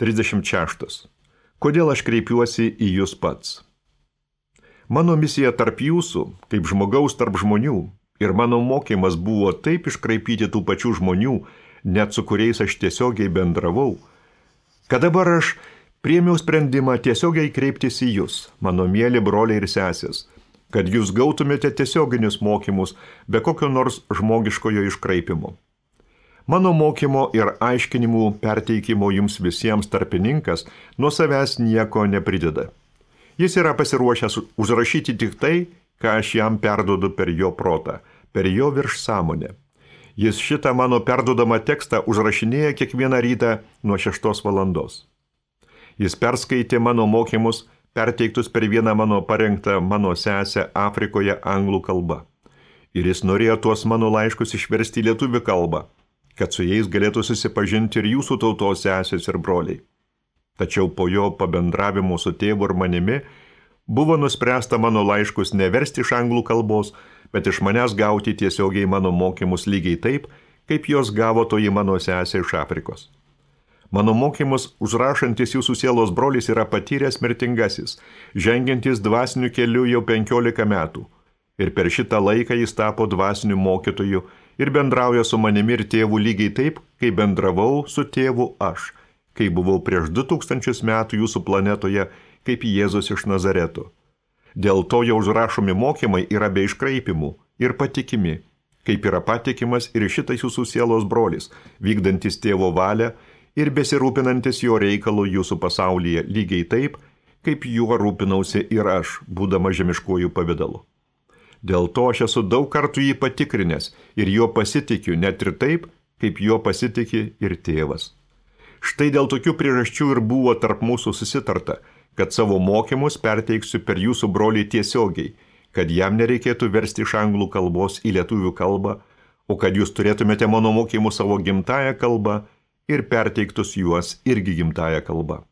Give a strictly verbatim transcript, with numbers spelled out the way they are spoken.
trisdešimt šeštas. Kodėl aš kreipiuosi į jūs pats? Mano misija tarp jūsų, kaip žmogaus tarp žmonių, ir mano mokymas buvo taip iškraipyti tų pačių žmonių, net su kuriais aš tiesiogiai bendravau, kad dabar aš priėmiau sprendimą tiesiogiai kreiptis į jūs, mano mieli broliai ir sesės, kad jūs gautumėte tiesioginius mokymus be kokio nors žmogiškojo iškraipimo. Mano mokymo ir aiškinimų perteikimo jums visiems tarpininkas nuo savęs nieko neprideda. Jis yra pasiruošęs užrašyti tik tai, ką aš jam perduodu per jo protą, per jo virš sąmonę. Jis šitą mano perduodamą tekstą užrašinėja kiekvieną rytą nuo šeštos valandos. Jis perskaitė mano mokymus, perteiktus per vieną mano parengtą mano sesę Afrikoje anglų kalba. Ir jis norėjo tuos mano laiškus išversti į lietuvių kalbą, kad su jais galėtų susipažinti ir jūsų tautos sesės ir broliai. Tačiau po jo pabendravimo su tėvu ir manimi buvo nuspręsta mano laiškus neversti iš anglų kalbos, bet iš manęs gauti tiesiogiai mano mokymus lygiai taip, kaip jos gavo toji mano sesė iš Afrikos. Mano mokymus užrašantis jūsų sielos brolis yra patyręs mirtingasis, žengiantis dvasiniu keliu jau penkiolika metų. Ir per šitą laiką jis tapo dvasiniu mokytoju ir bendrauja su manimi ir tėvu lygiai taip, kaip bendravau su tėvu aš, kai buvau prieš du tūkstančius metų jūsų planetoje, kaip Jėzus iš Nazareto. Dėl to jau užrašomi mokymai yra be iškraipimų ir patikimi, kaip yra patikimas ir šitas jūsų sielos brolis, vykdantis tėvo valią ir besirūpinantis jo reikalų jūsų pasaulyje lygiai taip, kaip juo rūpinausi ir aš, būdama žemiškojų pavidalu. Dėl to aš esu daug kartų jį patikrinęs ir jo pasitikiu net ir taip, kaip jo pasitiki ir tėvas. Štai dėl tokių priežasčių ir buvo tarp mūsų susitarta, kad savo mokymus perteiksiu per jūsų brolį tiesiogiai, kad jam nereikėtų versti iš anglų kalbos į lietuvių kalbą, o kad jūs turėtumėte mano mokymus savo gimtąją kalbą ir perteiktus juos irgi gimtąją kalbą.